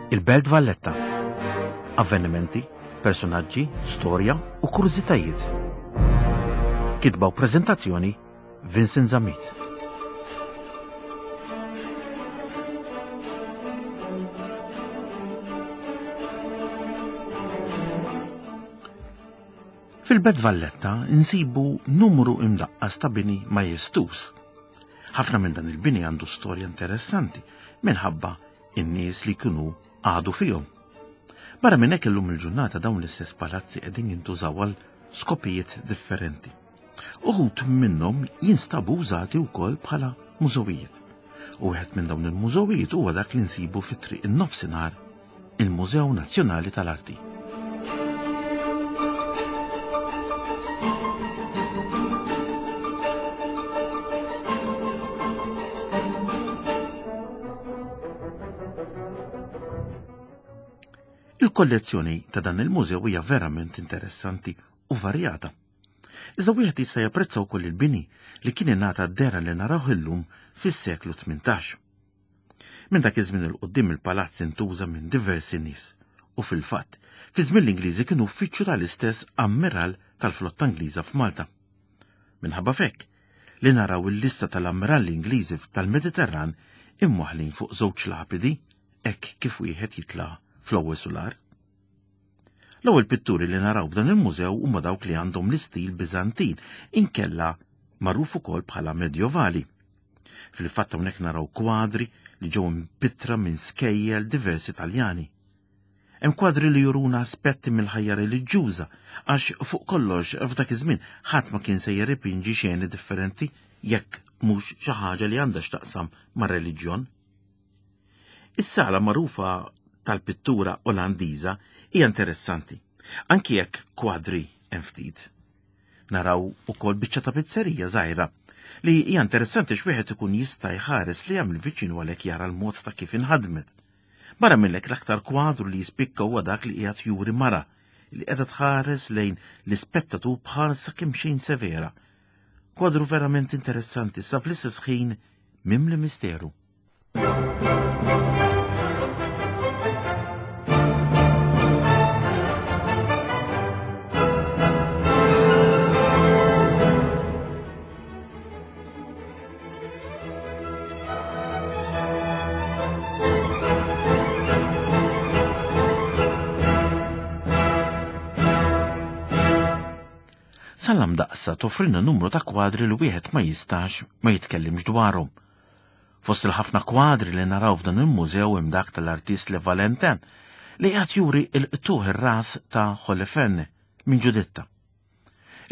Il-Belt Valletta. Avvenimenti, personaġġi, storja u kurżitajiet. Kitba u preżentazzjoni Vincent Zammit. Fil-Belt Valletta nsibu numru imdaqqas ta' bini majestuż. Ħafna minn dan il-bini għandu storja interessanti minħabba in-nies li kienu għadu fihom. Barra minn hekk illum il-ġurnata dawn l-istess palazzi qegħdin jintużaw għal skopijiet differenti. Uħud minnhom jinstabu użati wkoll bħala mużewijiet. U wieħed minn dawn il-mużewijiet huwa dak li nsibu fit-triq in-nofsinhar il-Mużew Nazzjonali tal-Arti. Il-kollezzjoni ta' dan il-mużew hija verament interessanti u varjata. Iżda wieħed jista' japprezza wkoll il-bini li kien ingħata d-dehra li narawh illum fis-seklu 18. Minn dak iż-żmien 'il quddiem il-palazz intuża minn diversi nies u fil-fatt, fi żmien l-Ingliżi kien uffiċċju tal-istess Ammiral tal-Flotta Ingliża f'Malta. Minħabba f'hekk, li naraw il-lista tal-Ammiralli Ingliżi tal-Mediterran imwaħħlin fuq żewġ lapidi hekk kif wieħed jitla' fl-ewwel sular. L-ewwel pitturi li naraw f'dan il-mużew huma dawk li għandhom l-istil Biżantin, inkella magħruf ukoll bħala Medjovali. Fil-fatt hawnhekk naraw kwadri li ġew impittra minn skejjel diversi Taljani. Hemm kwadri li juruna aspetti mill-ħajja reliġjuża għax fuq kollox f'dak iż-żmien ħadd ma kien se jirripinġi xeni differenti jekk mhux xi ħaġa li għandha x'taqsam mar-reliġjon. Is-sala magħrufa tal-pittura Olandiża hija interessanti, anki jekk kwadri hemm ftit. Naraw ukoll biċċa ta' pizzerija żgħira li hija interessanti x'wieħed ikun jista' jħares li hemm viċin u għalhekk jara l-mod ta' kif inħadmet. Barra minnhekk l-aktar kwadru li jispikka huwa dak li qiegħed juri mara li qiegħda tħares lejn l-ispettatur b'ħarsa kemm xejn severa. Kwadru verament interessanti sa fl-istess ħin mimli misteru. Salam daqsa toffrilna numru ta' kwadri li wieħed ma jistax ma jitkellimx dwarhom. Fost il-ħafna kwadri li naraw f'dan il-mużew hemm dak tal-artist Le Valentin li qed juri l-qtuħ ir-ras ta' Holoferne minn Ġuditta.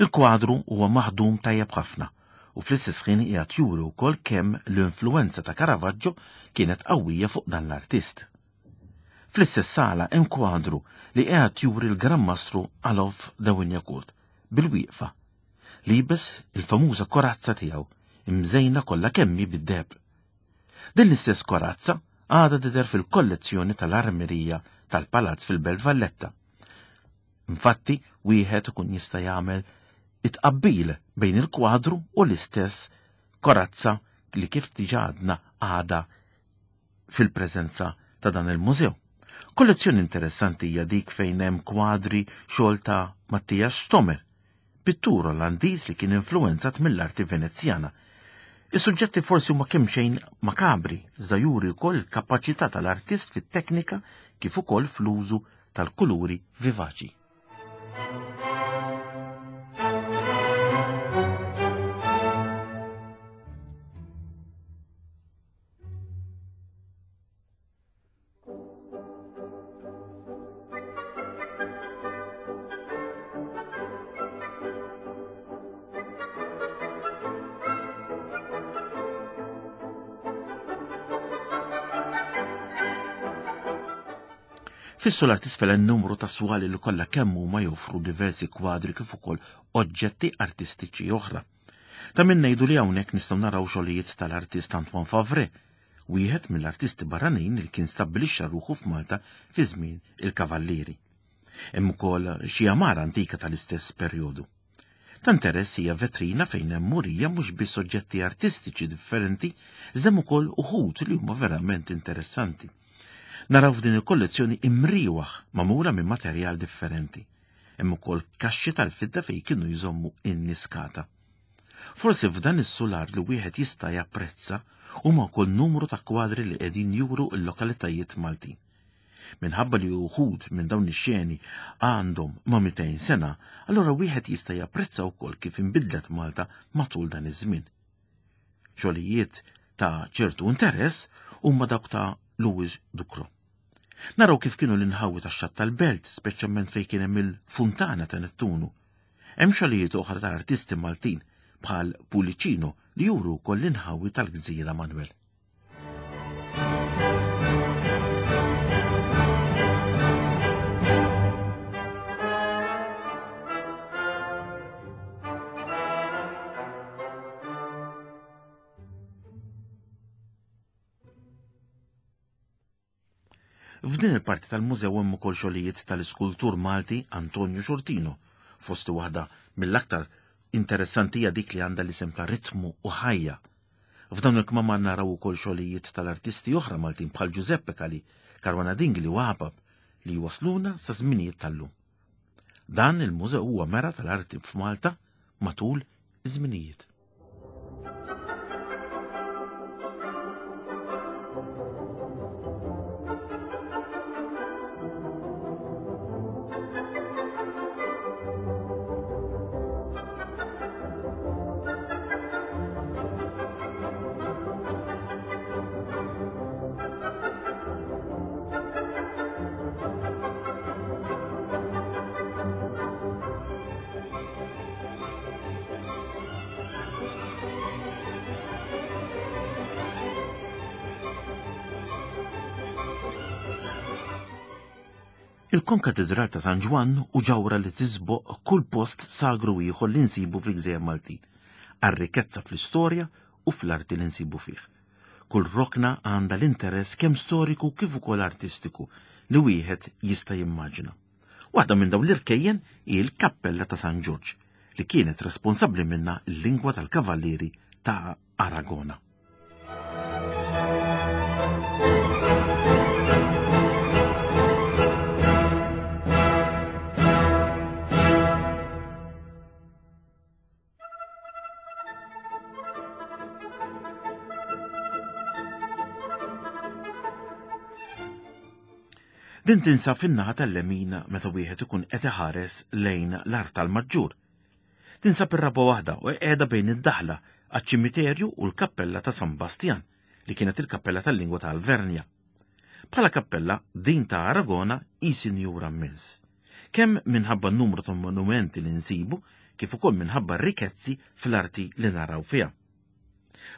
Il-kwadru huwa maħdum tajjeb ħafna u fl-istess ħin qiegħed juri wkoll kemm l-influwenza ta' Caravaggio kienet qawwija fuq dan l-artist. Fl-istess sala hemm kwadru li qiegħed juri l-Gran Mastru Alof de Wignacourt bil-wieqfa Liebes il-famuża korazza tiegħu, imżejna kollha kemm hi bid-deheb. Din l-istess korazza għadha tidher fil-kollezzjoni tal-armerija tal-Palazz fil-Belt Valletta. Infatti, wieħed ikun jista' jagħmel it-tqabbil bejn il-kwadru u l-istess korazza li kif diġà għadna għadha fil-preżenza ta' dan il-mużew. Kollezzjoni interessanti hija dik fejn hemm kwadri xogħol ta' Matthias Stomer, pittur Olandiż li kien influwenzat mill-arti Venezjana. Is-suġġetti forsi huma kemm xejn makabri, iżda juri wkoll il-kapaċità tal-artist fit-teknika kif ukoll fl-użu tal-kuluri vivaċi. Fis-solar tisfel hemm numru ta' swali li kollha kemm huma joffru diversi kwadri kif ukoll oġġetti artistiċi oħra. Ta' min ngħidu li hawnhekk nistgħu naraw xogħlijiet tal-artist Antoine Favre, wieħed mill-artisti barranin li kien stabbilixxa ruħu f'Malta fi żmien il-Kavallieri. Hemm ukoll xi għamara antika tal-istess perjodu. Ta' interess hija vetrina fejn hemm murija mhux biss oġġetti artistiċi differenti, iżda hemm ukoll uħud li huma verament interessanti. Naraw f'din il-kollezzjoni imriewaħ magħmula minn materjal differenti. Hemm ukoll kaxxi tal-fidda fejn kienu jżommu in-niskata. Forsi f'dan is-sular li wieħed jista' japprezza huma wkoll numru ta' kwadri li qegħdin juru l-lokalitajiet Maltin. Minħabba li uħud minn dawn ix-xeni għandhom ma' 200 sena, allura wieħed jista' japprezza wkoll kif inbidlet Malta matul dan iż-żmien. Xogħlijiet ta' ċertu interess huma dawk ta' Louis Ducro. Naraw kif kienu l-inħawi tax-xatt tal-belt, speċjalment fejn kien hemm il-funtana ta' Nettunu. Hemm xogħlijiet oħra ta' artisti Maltin bħal Pulicino li juru wkoll l-inħawi tal-Gżira Manuel. F'din il-parti tal-mużew hemm ukoll xogħlijiet tal-iskultur Malti Antonio Xortino, fost waħda mill-aktar interessanti hija dik li għandha l-isem ta' Ritmu u Ħajja. F'dawn il-kmamar naraw ukoll xogħlijiet tal-artisti oħra Maltin bħal Giuseppe Cali, Caruana Dingli u Apap li jwasluna sa żminijiet tal-lum. Dan il-mużew huwa mera tal-arti f'Malta matul iż-żminijiet. Il-Konkatedral ta' San Ġwann u ġawra li tiżboq kull post sagru ieħor li nsibu fil-Gżejjer Maltin, għar-rikezza fl-istorja u fl-arti li nsibu fih. Kull rokna għandha l-interess kemm storiku kif ukoll artistiku li wieħed jista' jimmaġina. Waħda minn dawn l-irkejjen hi l-Kappella ta' San Ġorġ, li kienet responsabbli minnha l-lingwa tal-Kavallieri ta' Aragona. Din tinsab fin-naħa tal-lemin meta wieħed ikun qed iħares lejn l-art tal-Maġġur. Tinsab ir-raba' waħda u qiegħda bejn id-daħla għaċ-ċimiterju u l-kappella ta' San Bastjan li kienet il-kappella tal-lingwa ta' Alvernja. Bħala kappella, din ta' Aragona hi sinjura mmens. Kemm minħabba n-numru ta' monumenti li nsibu, kif ukoll minħabba r-rikezzi fl-arti li naraw fiha.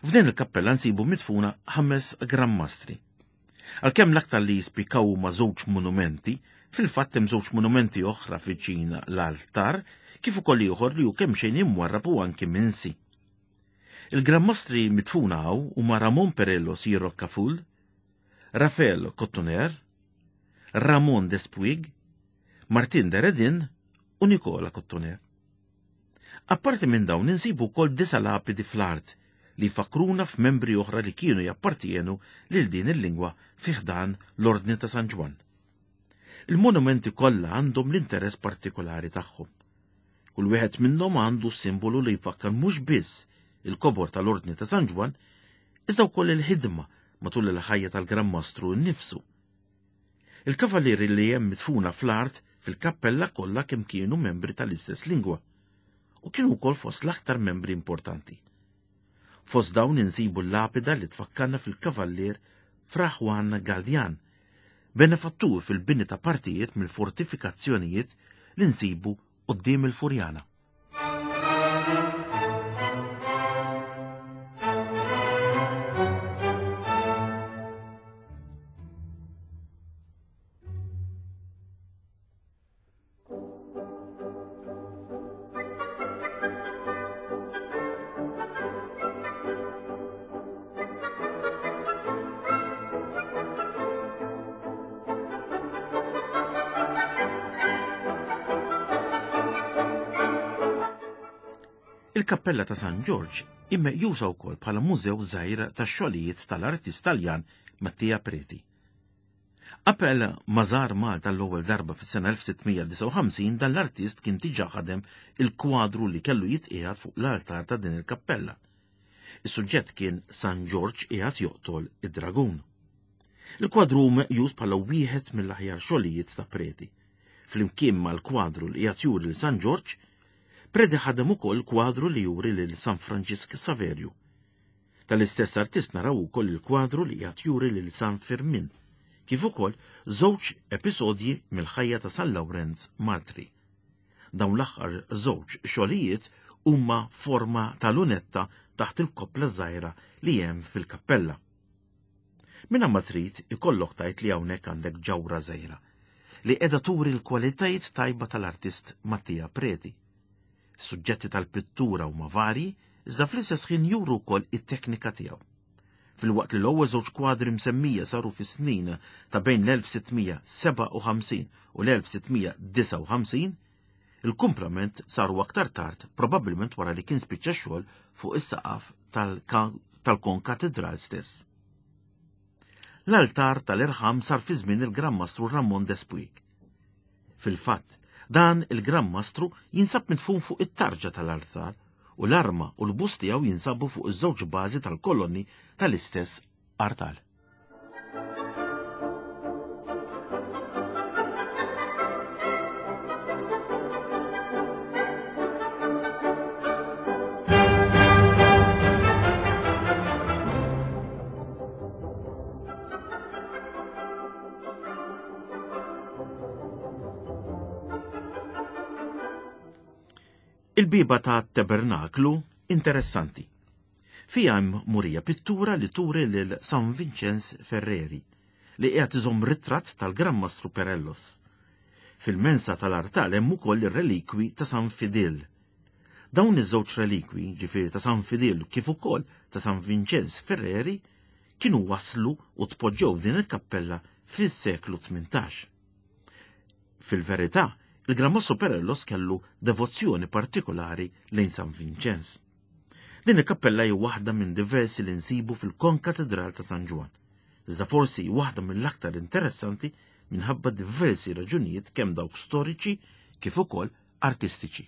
F'din il-kappella nsibu midfuna ħames Gran Mastri. Għalkemm l-aktar li jispikkaw huma żewġ monumenti, fil-fatt hemm żewġ monumenti oħra viċin l-altar, kif ukoll ieħor li hu kemxejn imwarrab u anki minsi. Il-Gran Mastri midfuna hawn huma Ramon Perello si Roccaful, Rafael Cottoner, Ramon Despuig, Martin de Redin u Nicola Cottoner. Apparti minn dawn insibu wkoll disa' lapidi fl-art li jfakkruna f'membri oħra li kienu jappartienu lil din il-lingwa fi ħdan l-Ordni ta' San Ġwann. Il-monumenti kollha għandhom l-interess partikolari tagħhom. Kull wieħed minnhom għandu simbolu li jfakkar mhux biss il-kobor tal-Ordni ta' San Ġwann, iżda wkoll il-ħidma matul il-ħajja tal-Gran Mastru nnifsu. Il-kavallieri li hemm midfuna fl-art fil-kappella kollha kemm kienu membri tal-istess lingwa u kienu wkoll fost l-aktar membri importanti. Fost dawn insibu l-lapida li tfakkarna fil-kavallier Fra Juan Galdian, benefattur fil-bini ta' partijiet mill-fortifikazzjonijiet li nsibu quddiem il-Furjana. Il-Kappella ta' San Ġorġ hi meqjusa wkoll bħala mużew żgħir tax-xogħlijiet tal-artist Taljan Mattia Preti. Qabel ma żar Malta l-ewwel darba fis-sena 1659 dan l-artist kien diġà ħadem il-kwadru li kellu jitqiegħed fuq l-altar ta' din il-kappella. Is-suġġett kien San Ġorġ qiegħed joqtol id-dragun. Il-kwadru hu meqjus bħala wieħed mill-aħjar xogħlijiet ta' Preti. Flimkien mal-kwadru li qiegħed juri lil San Ġorġ, Preti ħadem ukoll kwadru li juri lil San Franġisk Saverju. Tal-istess artist naraw ukoll il-kwadru li qiegħed juri lil San Firmin, kif ukoll żewġ episodji mill-ħajja ta' San Lawrenz Martri. Dawn l-aħħar żewġ xogħlijiet huma forma ta' lunetta taħt il-koppla żgħira li hemm fil-kappella. Minn ma trid ikollok tgħid li hawnhekk għandek ġawra żgħira li qiegħda turi l-kwalitajiet tajba tal-artist Mattia Preti. Suġġetti tal-pittura huma varji, iżda fl-istess ħin juru wkoll it-teknika tiegħu. Filwaqt li l-ewwel żewġ kwadri msemmija saru fis-snin ta' bejn l-1657 u l-1659, il-kumplament saru aktar tard, probabbilment wara li kien spiċċa xogħol fuq is-saqaf tal-konkatedral stess. L-altar tal-irħam sar fi żmien il-Gran Mastru Ramon Despuig. Fil-fatt, dan il-Gran Mastru jinsab midfun fuq it-tarġa tal-altar u l-arma u l-bust tiegħu jinsabu fuq iż-żewġ bażi tal-kolonni tal-istess artal. Il-bieba ta' tabernaklu interessanti. Fija hemm murija pittura li turi lil San Vincenz Ferreri li qiegħed iżomm ritratt tal-Gran Mastru Perellos. Fil-mensa tal-artal hemm ukoll ir-relikwi ta' San Fidil. Dawn iż-żewġ relikwi, ġifieri ta' San Fidil kif ukoll ta' San Vincenz Ferreri, kienu waslu u tpoġġew f'din il-kappella fis-seklu 18. Fil-verità, il-Gran Mastru Perellos kellu devozzjoni partikolari lejn San Vinċenz. Din il-kappella hi waħda minn diversi li nsibu fil-Konkatedral ta' San Ġwann. Iżda forsi waħda mill-aktar interessanti minħabba diversi raġunijiet kemm dawk storiċi kif ukoll artistiċi.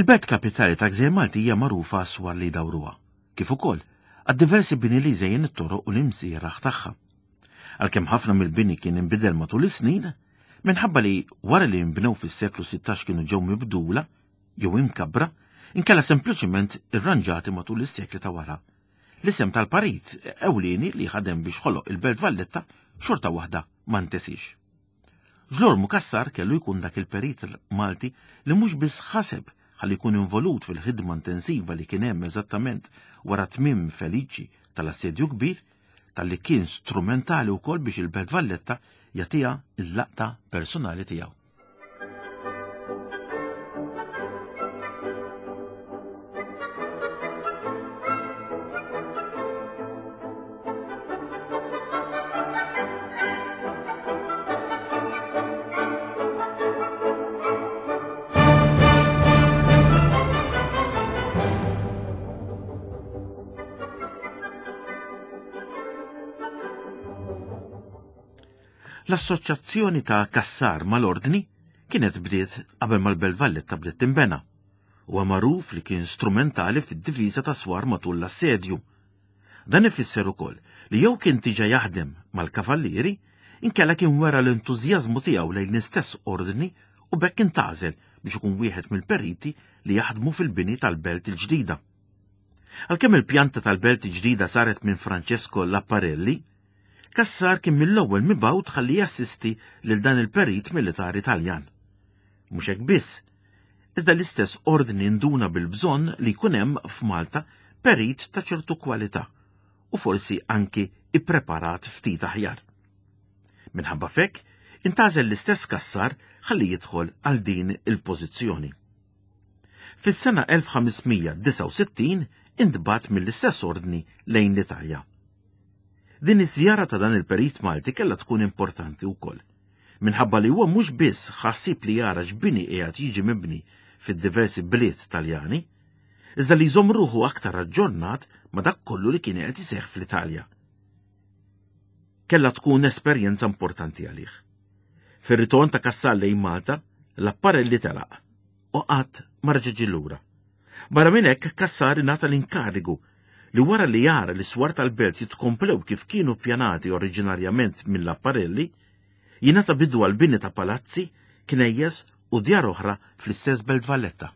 Il-belt kapitali ta' Gżejjer Malti hija magħrufa għas-swar li jdawruha, kif ukoll għad-diversi bini li jżejjen it-toroq u l-imsieraħ tagħha. Għalkemm ħafna mill-bini kien inbidel matul is-snin, minħabba li wara li nbnew fis-seklu 16 kienu ġew mibdula jew imkabbra, inkella sempliċement irranġati matul is-sekli ta' wara. L-isem tal-parit ewlieni li ħadem biex ħoloq il-Belt Valletta xorta waħda ma ntesix. Ġlormu Cassar kellu jkun dak il-perit Malti li mhux biss ħaseb ħalli jkun involut fil-ħidma intensiva li kien hemm eżattament wara tmiem feliċi tal-Assedju Kbir, talli kien strumentali wkoll biex il-Belt Valletta jagħtiha l-laqta personali tiegħu. L-assoċjazzjoni ta' Cassar mal-Ordni kienet bdiet qabel ma l-Belt Valletta bdiet tinbena. Huwa magħruf li kien strumentali fid-difiża ta' swar matul l-assedju. Dan ifisser ukoll li jew kien diġà jaħdem mal-Kavallieri, inkella kien wera l-entużjażmu tiegħu lejn l-istess ordni u b'hekk intgħażel biex ikun wieħed mill-periti li jaħdmu fil-bini tal-belt il-ġdida. Għalkemm il-pjanta tal-belt il-ġdida saret minn Francesco Laparelli, Cassar kien mill-ewwel mibgħut ħalli jassisti lil dan il-perit militari Taljan. Mhux hekk biss, iżda l-istess ordni nduna bil-bżonn li jkun hemm f'Malta perit ta' ċertu kwalità. u forsi anki ippreparat ftit aħjar. Minħabba f'hekk, intgħażel l-istess Cassar ħalli jidħol għal din il-pożizzjoni. Fis-sena 1569 intbagħat mill-istess ordni lejn l-Italja. Din iż-żjara ta' dan il-perit Malti kellha tkun importanti wkoll, minħabba li huwa mhux biss ħassib li jara x'bini qiegħed jiġi mibni fid-diversi bliet Taljani, iżda li jżomm ruħu aktar aġġornat ma' dak kollu li kien qed iseħħ fl-Italja. Kellha tkun esperjenza importanti għalih. Fir-ritorn ta' Cassar lejn Malta, l-apparelli telaq u qatt ma reġa' ġie lura. Barra minn hekk, Cassar ingħata l-inkarigu li wara li jara li s-swar tal-belt jitkomplew kif kienu ppjanati oriġinarjament mill-apparelli, jingħata bidu għall-bini ta' palazzi, knejjes u djar oħra fl-istess Belt Valletta.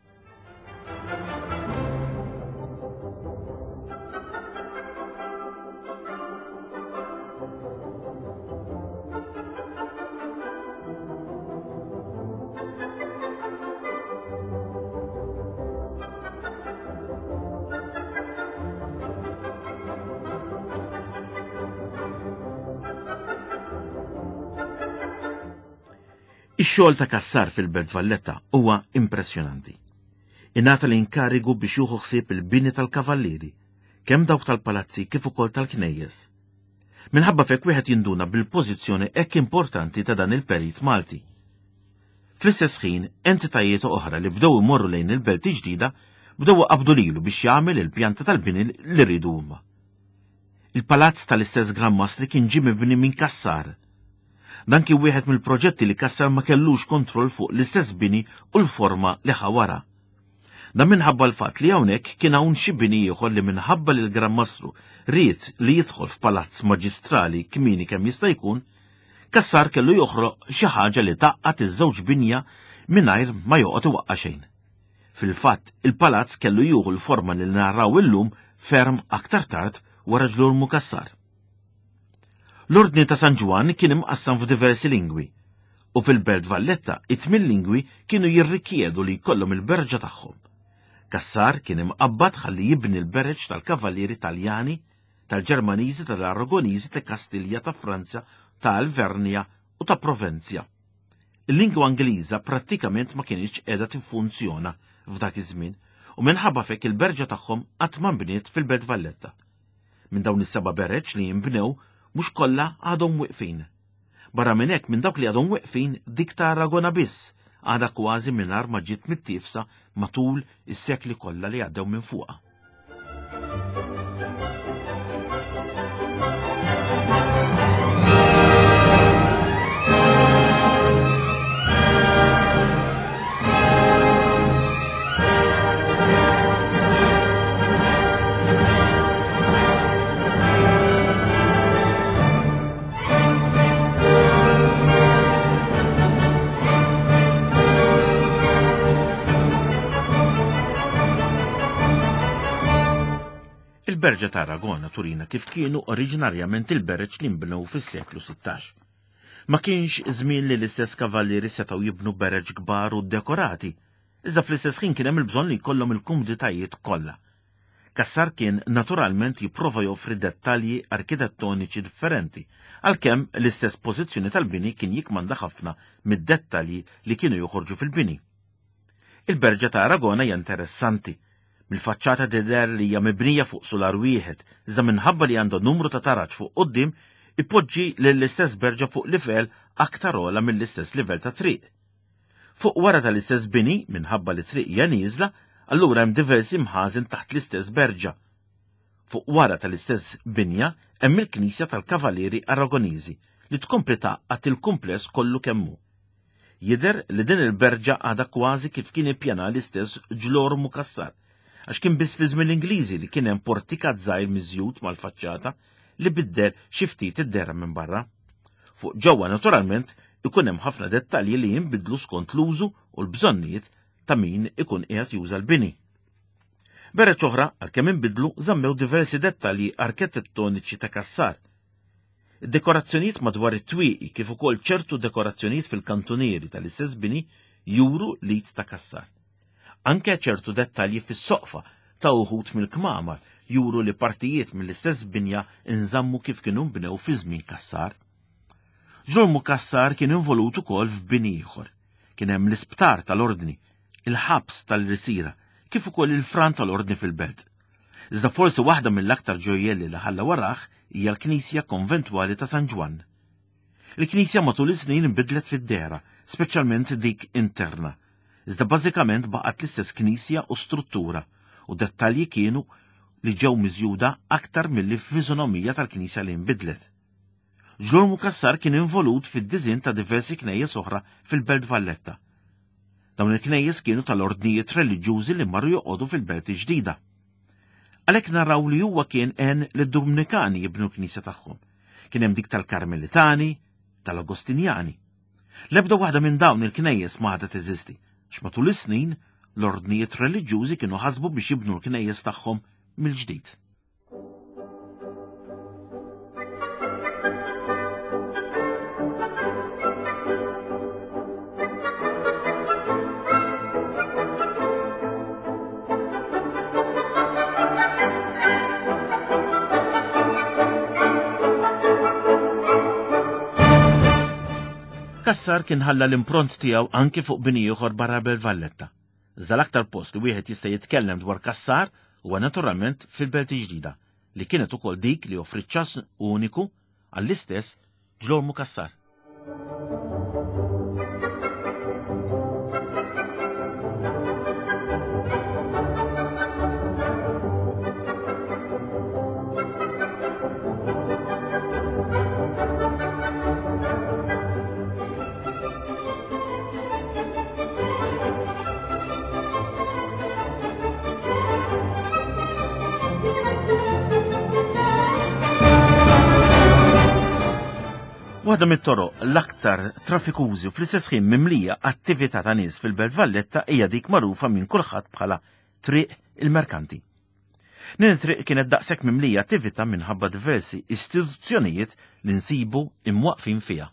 Ix-xogħol ta' Cassar fil-Belt Valletta huwa impressjonanti. Ingħata l-inkarigu biex jieħu ħsieb il-bini tal-kavallieri, kemm dawk tal-palazzi kif ukoll tal-knejjes. Minħabba f'hekk wieħed jinduna bil-pożizzjoni hekk importanti ta' dan il-perit Malti. Fl-istess ħin, entitajiet oħra li bdew imorru lejn il-belt ġdida bdew iqabbdu lilu biex jagħmel il-pjanta tal-bini li riedu huma. Il-palazz tal-istess Gran Mastri kien ġie mibni minn Cassar. Dan kien wieħed mill-proġetti li Cassar ma kellux kontroll fuq l-istess bini u l-forma li ħa wara. Dan minħabba l-fatt li hawnhekk kien hawn xi bini ieħor li minħabba li l-Gran Mastru ried li jidħol f'palazz maġistrali kmieni kemm jista' jkun, Cassar kellu joħroq xi ħaġa li tgħaqqad iż-żewġ binja mingħajr ma joqgħod iwaqqa' xejn. Fil-fatt, il-palazz kellu jieħu l-forma li naraw illum ferm aktar tard wara ġlormu Cassar. L-Ordni ta' San Ġwann kien imqassam f'diversi lingwi, u fil-Belt Valletta it-tmien lingwi kienu jirrikjedu li jkollhom il-berġa tagħhom. Cassar kien imqabbad ħalli jibni l-bereġ tal-kavallieri Taljani, tal-Ġermaniżi, tal-Aragoniżi, ta' Kastilja, ta' Franza, ta' Alvernja u ta' Provenzja. Il-lingwa Ingliża prattikament ma kinitx qiegħda tiffunzjona f'dak iż-żmien u minħabba f'hekk il-berġa tagħhom qatt ma nbniet fil-Belt Valletta. Minn dawn is-seba' bereġ li jinbnew, mhux kollha għadhom wieqfin. Barra minn hekk, minn dawk li għadhom weqfin, dik ta' Aragona biss għadha kważi mingħajr ma ġiet mittiefsa matul is-sekli kollha li għaddew minn fuqha. Il-Berġa ta' Aragona turina kif kienu oriġinarjament il-bereġ li nbnew fis-seklu 16. Ma kienx żmien li l-istess kavallieri setgħu jibnu bereġ kbar u dekorati, iżda fl-istess ħin kien hemm il-bżonn li jkollhom il-kumditajiet kollha. Cassar kien naturalment jipprova joffri dettalji arkitettoniċi differenti, għalkemm l-istess pożizzjoni tal-bini kien jikkmanda ħafna mid-dettalji li kienu joħorġu fil-bini. Il-Berġa ta' Aragona hija interessanti. Mill-faċċata tidher li hija mibnija fuq sular wieħed, iżda minħabba li għandha numru ta' taraġ fuq quddiem, ipoġġi lill-istess berġa fuq livell aktar ogħla mill-istess livell tat-triq. Fuq wara tal-istess bini, minħabba li t-triq hija nieżla, allura hemm diversi mħażen taħt l-istess berġa. Fuq wara tal-istess binja hemm il-knisja tal-Kavalieri Aragoniżi li tkompli tgħaqqad il-kumpless kollu kemm hu. Jidher li din il-berġa għadha kważi kif kien ippjana l-istess Ġlormu Cassar, għax kien biss fi żmien l-Ingliżi li kien hemm portikat żgħir miżjud mal-faċċata li biddel xi ftit id-dehra minn barra. Fuq ġewwa naturalment ikun hemm ħafna dettalji li jinbidlu skont l-użu u l-bżonnijiet ta' min ikun qiegħed juża l-bini. Bereġ oħra, għalkemm inbidlu, żammew diversi dettalji arkitettoniċi ta' Cassar. Id-dekorazzjonijiet madwar it-twieqi kif ukoll ċertu dekorazzjonijiet fil-kantunieri tal-istess bini juru l-id ta' Cassar. Anke ċertu dettalji fis-soqfa ta' uħud mill-kmamar juru li partijiet mill-istess binja nżammu kif kienu nbnew fi żmien Cassar. Ġrolmu Cassar kien involut ukoll f'bini ieħor. Kien hemm l-isptar tal-Ordni, il-ħabs tal-Risira, kif ukoll il-fran tal-Ordni fil-belt. Iżda forsi waħda mill-aktar ġojjelli li ħalla warah hija l-Knisja Konventwali ta' San Ġwann. Il-Knisja matul is-snin inbidlet fid-dehra, speċjalment dik interna. Iżda bażikament baqgħet l-istess knisja u struttura, u dettalji kienu li ġew miżjuda aktar milli fiżonomija tal-knisja li nbidlet. Ġlormu Cassar kien involut fid-diżinn ta' diversi knejjes oħra fil-Belt Valletta. Dawn il-knejjes kienu tal-ordnijiet reliġjużi li marru joqogħdu fil-Belt il-Ġdida. Għalhekk naraw li huwa kien għen lid-Dumnikani jibnu l-knisja tagħhom. Kien hemm dik tal-Karmelitani, tal-Agostinjani. L-ebda waħda minn dawn il-knejjes ma għadha teżisti, għax matul is-snin l-ordnijiet reliġjużi kienu ħasbu biex jibnu l-knejjes tagħhom mill-ġdid. Cassar kien ħalla l-impront tiegħu anki fuq bini ieħor barra Belt Valletta. Iżda l-aktar post li wieħed jista' jitkellem dwar Cassar huwa naturalment fil-Belt il-Ġdida, li kienet ukoll dik li offriet ċans uniku għall-istess Ġlormu Cassar. Waħda mit-toroq l-aktar trafikużi u fl-istess ħin mimlija attività ta' nies fil-Belt Valletta hija dik magħrufa minn kulħadd bħala Triq il-Merkanti. Din it-triq kienet daqshekk mimlija attività minħabba diversi istituzzjonijiet li nsibu imwaqfin fiha.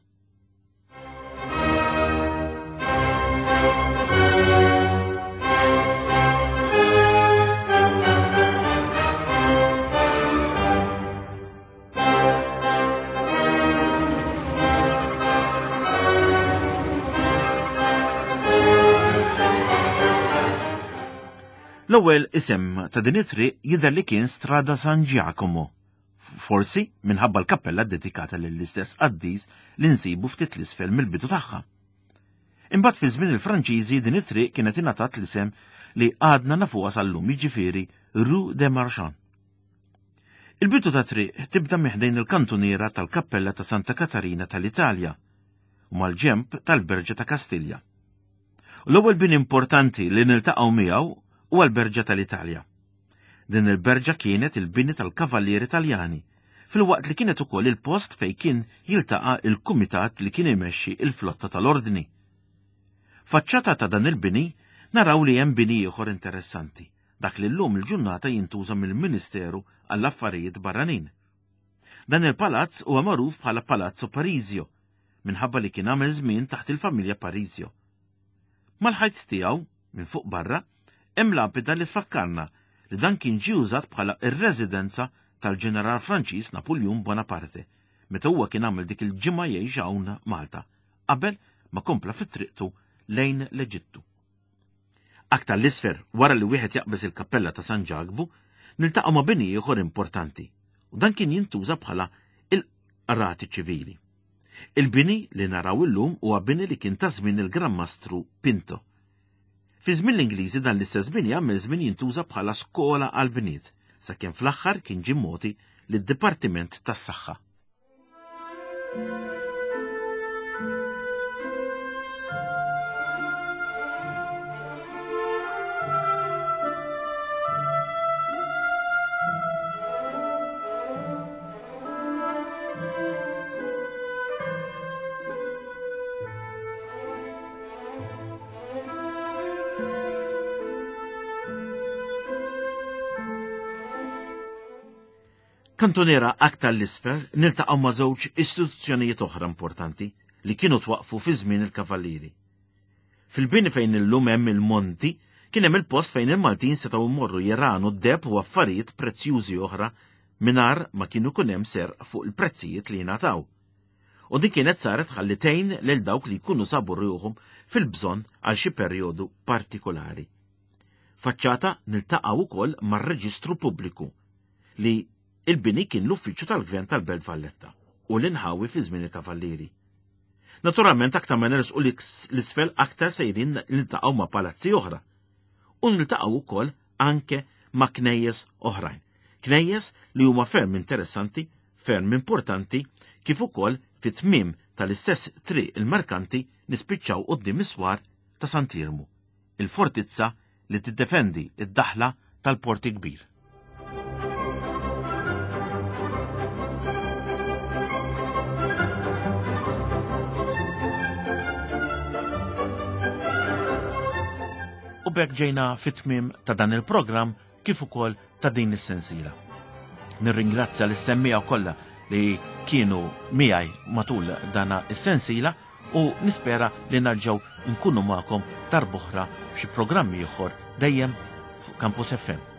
L-ewwel isem ta' din it-triq jidher li kien Strada San Giacomo, forsi minħabba l-kappella ddedikata lill-istess qaddis li nsibu ftit l-isfel mill-bidu tagħha. Imbagħad fi żmien il-Franċiżi din it-triq kienet ingħatat l-isem li għadna nafuha sal-lum jiġifieri Rue des Marchands. Il-bidu ta' triq tibda minn ħdejn il-kantuniera tal-Kappella ta' Santa Katarina tal-Italja u mal-ġenb tal-Berġa ta' Kastilja. U l-ewwel bini importanti li niltaqgħu miegħu huwa l-Berġa tal-Italja. Din il-berġa kienet il-bini tal-Kavallieri Taljani, filwaqt li kienet ukoll il-post fejn kien jiltaqa' il-kumitat li kien imexxi il-flotta tal-Ordni. Faċċata ta' dan il-bini naraw li hemm bini ieħor interessanti, dak li llum il-ġurnata jintuża mill-Ministeru għall-Affarijiet Barranin. Dan il-palazz huwa magħruf bħala Palazzo Parisio, minħabba li kien għamel żmien taħt il-familja Parisio. Mal-ħajt tiegħu, minn fuq barra, hemm lapida li tfakkarna li dan kien ġie użat bħala r-residenza tal-ġeneral Franċiż Napuljun Bonaparte meta huwa kien għamel dik il-ġimgħa jgħix hawn Malta, qabel ma kompla fi triqtu lejn l-Eġittu. Aktar l-isfel, wara li wieħed jaqbeż il-kappella ta' San Ġakbu, niltaqgħu ma' bini ieħor importanti, u dan kien jintuża bħala il-qrati ċivili. Il-bini li naraw illum huwa bini li kien ta' żmien il-Gran Mastru Pinto. Fi żmien l-Ingliżi dan l-istess bini għamel żmien jintuża bħala skola għall-bniet, sakemm fl-aħħar kien ġie mogħti lid-Dipartiment tas-Saħħa. Kantuniera aktar l-isfel niltaqgħu ma' żewġ istituzzjonijiet oħra importanti li kienu twaqfu fi żmien il-Kavallieri. Fil-bini fejn illum hemm il-Monti Kien hemm il-post fejn il-Maltin setgħu jmorru jiranu d-deheb u affarijiet prezzjużi oħra mingħajr ma kienu jkun hemm serq fuq il-prezzijiet li jingħataw. U din kienet saret ħalli tgħin lil dawk li jkunu sabu ruħhom fil-bżonn għal xi perjodu partikolari. Faċċata niltaqgħu wkoll mar-Reġistru Pubbliku li il-bini kien l-uffiċċju tal-Gvern tal-Belt Valletta u l-inħawi fi żmien il-Kavallieri. Naturalment aktar ma nersqu l-isfel aktar sejrin niltaqgħu ma' palazzi oħra. U niltaqgħu wkoll anke ma' knejjes oħrajn. Knejjes li huma ferm interessanti, ferm importanti, kif ukoll fit-tmiem tal-istess triq il-merkanti nispiċċaw quddiem is-swar ta' Sant'Iermu, il-fortizza li tiddefendi d-daħla tal-Port il-Kbir. U b'hekk ġejna fit-tmiem ta' dan il-programm kif ukoll ta' din is-sensiela. Nirringrazzja lis-semmiegħa kollha li kienu miegħi matul dana is-sensiela u nispera li narġgħu nkunu magħkom darb'oħra f'xi programm ieħor dejjem fuq Campus FM.